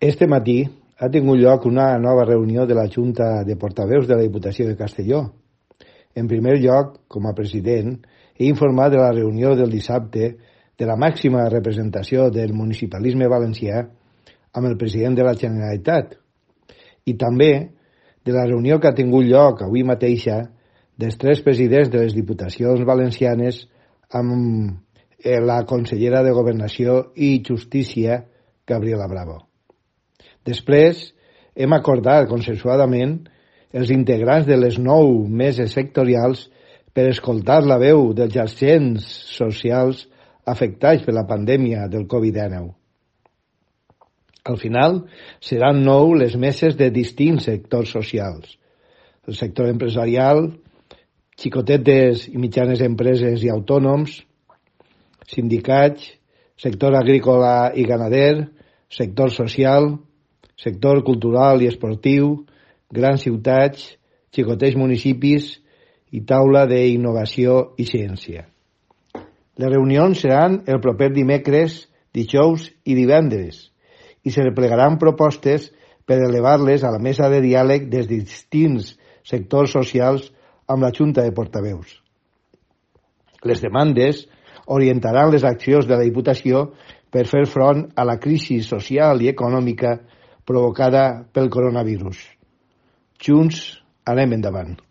Este matí ha tingut lloc una nova reunió de la Junta de Portaveus de la Diputació de Castelló. En primer lloc, com a president, he informat de la reunió del dissabte de la màxima representació del municipalisme valencià amb el president de la Generalitat i també de la reunió que ha tingut lloc avui mateixa dels tres presidents de les diputacions valencianes amb la consellera de Governació i Justícia, Gabriela Bravo. Després, hem acordat consensuadament els integrants de les 9 meses sectorials per escoltar la veu dels agents socials afectats per la pandèmia del Covid-19. Al final, seran 9 les meses de distints sectors socials. El sector empresarial, xicotetes i mitjanes empreses i autònoms, sindicats, sector agrícola i ganader, sector social, sector cultural i esportiu, grans ciutats, xicotets municipis i taula d'innovació i ciència. Les reunions seran el proper dimecres, dijous i divendres i se replegaran propostes per elevar-les a la mesa de diàleg dels distints sectors socials amb la Junta de Portaveus. Les demandes orientaran les accions de la Diputació per fer front a la crisi social i econòmica provocada pel coronavirus. Junts, anem endavant.